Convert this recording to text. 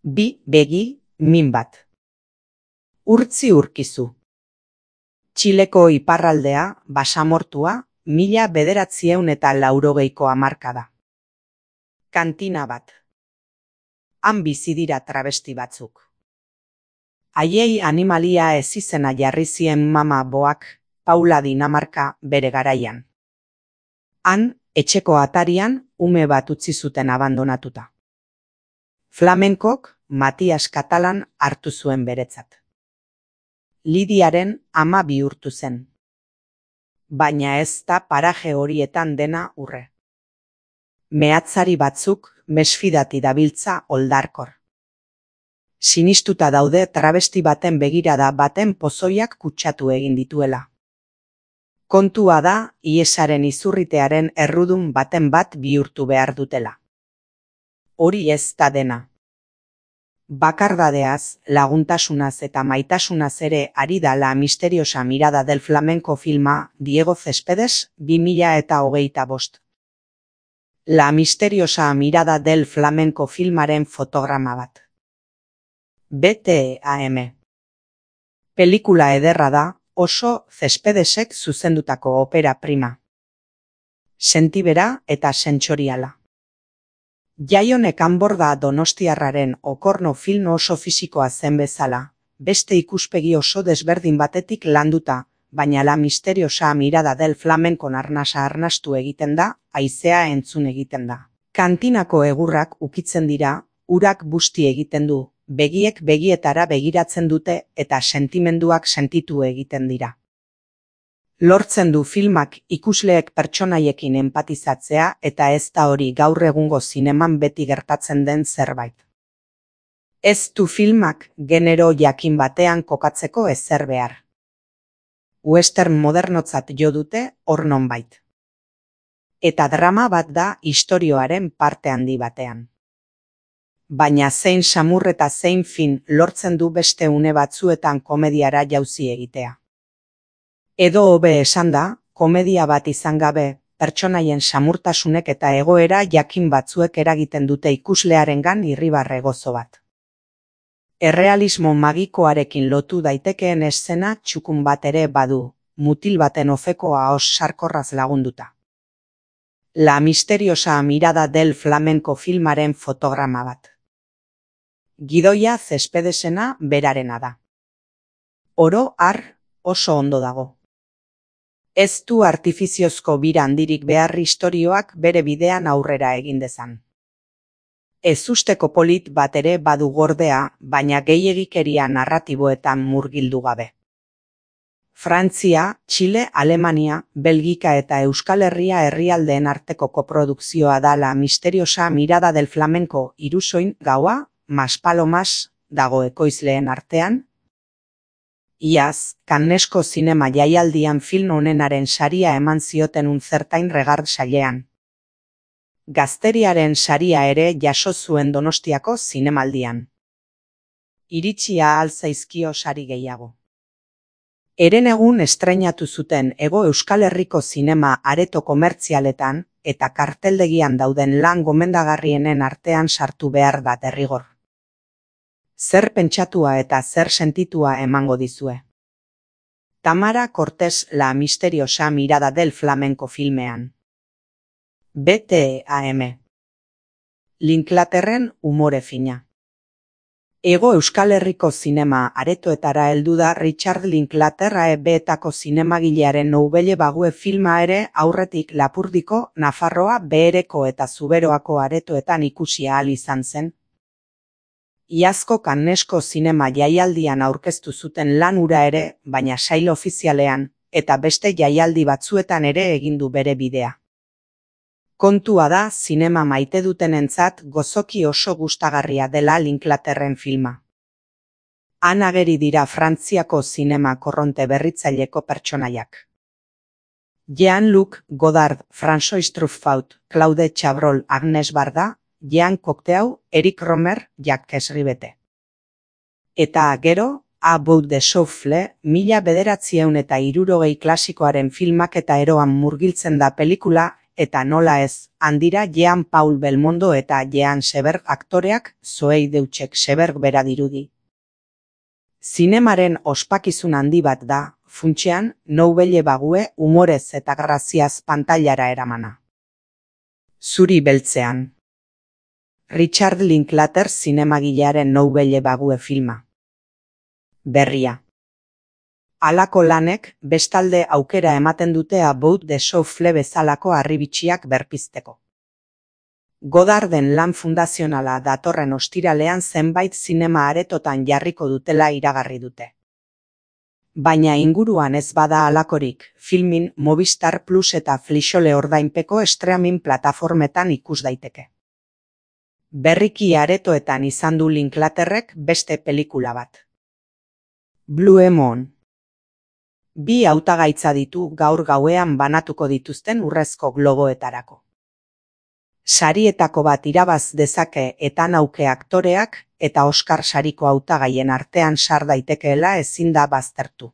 Bi begi, min bat. Urtzi urkizu. Txileko iparraldea, basamortua, 1980ko hamarkada. Kantina bat. Han bizi dira travesti batzuk. Haiei animalia ez izena jarri zien mama boak, Paula Dinamarka bere garaian. Han, etxeko atarian, ume bat utzi zuten abandonatuta. Flamenkok Matias Katalan hartu zuen beretzat. Lidiaren ama bihurtu zen. Baina ez da paraje horietan dena urre. Mehatzari batzuk mesfidati dabiltza oldarkor. Sinistuta daude travesti baten begirada baten pozoiak kutsatu egin dituela. Kontua da iesaren izurritearen errudun baten bat bihurtu behar dutela. Hori ez da dena. Bakardadeaz, laguntasunaz eta maitasunaz ere ari da La misteriosa mirada del flamenco filma Diego Céspedes 2025. La misteriosa mirada del flamenco filmaren fotograma bat. BTAM. Pelikula ederra da, oso Céspedesek zuzendutako opera prima. Sentibera eta sentsoriala. Jaionek Anborda donostiarraren Okorno film oso fisikoa zen bezala, beste ikuspegi oso desberdin batetik landuta, baina La misteriosa mirada del flamenco arnasa arnastu egiten da, haizea entzun egiten da. Kantinako egurrak ukitzen dira, urak busti egiten du, begiek begietara begiratzen dute eta sentimenduak sentitu egiten dira. Lortzen du filmak ikusleek pertsonaiekin empatizatzea eta ez da hori gaur egungo zineman beti gertatzen den zerbait. Ez du filmak genero jakin batean kokatzeko ezer behar. Western modernotzat jo dute hor nonbait. Eta drama bat da istorioaren parte handi batean. Baina zein samur eta zein fin lortzen du beste une batzuetan komediara jauzi egitea. Edo hobe esanda, komedia bat izan gabe, pertsonaien samurtasunek eta egoera jakin batzuek eragiten dute ikuslearengan irribarre gozo bat. Errealismo magikoarekin lotu daitekeen eszena txukun bat ere badu, mutil baten ofeko ahos sarkorraz lagunduta. La misteriosa mirada del flamenco filmaren fotograma bat. Gidoia Céspedesena berarena da. Oro har oso ondo dago. Ez du artifiziozko bira handirik behar istorioak bere bidean aurrera egin dezan. Ez usteko polit bat ere badu gordea, baina gehiegikeria narratiboetan murgildu gabe. Frantzia, Txile, Alemania, Belgika eta Euskal Herria herrialdeen arteko koprodukzioa da La misteriosa mirada del flamenco Irusoin gaua, Maspalomas dago ekoizleen artean. Iaz, Cannesko zinema jaialdian film onenaren saria eman zioten Unzertain Regard sailean. Gazteriaren saria ere jaso zuen Donostiako zinemaldian. Iritsia ahal zaizkio sari gehiago. Herenegun estreinatu zuten Hego Euskal Herriko zinema areto komertzialetan eta karteldegian dauden lan gomendagarrienen artean sartu behar da derrigor. Zer pentsatua eta zer sentitua emango dizue. Tamara Cortés La misteriosa mirada del flamenco filmean. BTAM. Linklaterren umore fina. Hego Euskal Herriko zinema aretoetara heldu da Richard Linklater AEB-etako zinemagilearen Nouvelle Vague filma ere aurretik Lapurdiko, Nafarroa, Behereko eta Zuberoako aretoetan ikusi ahal izan zen. Iazko Cannesko zinema jaialdian aurkeztu zuten lan hura ere, baina sail ofizialean, eta beste jaialdi batzuetan ere egin du bere bidea. Kontua da zinema maite dutenentzat gozoki oso gustagarria dela Linklaterren filma. Han ageri dira Frantziako zinema korronte berritzaileko pertsonaiak. Jean-Luc Godard, François Truffaut, Claude Chabrol, Agnes Varda, Jean Cocteau, Eric Romer, Jacques Rivette. Eta gero, A Bout de Souffle, 1960 klasikoaren filmak eta eroan murgiltzen da pelikula eta nola ez, handira Jean Paul Belmondo eta Jean Seberg aktoreak Zoey Deutsek Seberg bera dirudi. Zinemaren ospakizun handi bat da, funtsean, Nouvelle Vague umorez eta graziaz pantailara eramana. Zuri beltzean. Richard Linklater zinemagilearen Nouvelle Vague filma. Berria. Halako lanek, bestalde aukera ematen dute About the Souffle bezalako harribitxiak berpizteko. Godarden lan fundazionala datorren ostiralean zenbait zinema aretotan jarriko dutela iragarri dute. Baina inguruan ez bada halakorik, filmin Movistar Plus eta Flixole ordainpeko streaming plataformetan ikus daiteke. Berriki aretoetan izan du Linklaterrek beste pelikula bat. Blue Moon. Bi hautagaitza ditu gaur gauean banatuko dituzten Urrezko Globoetarako. Sarietako bat irabaz dezake Ethan Hawke aktoreak eta Oscar sariko hautagaien artean sar daitekeela ezin da baztertu.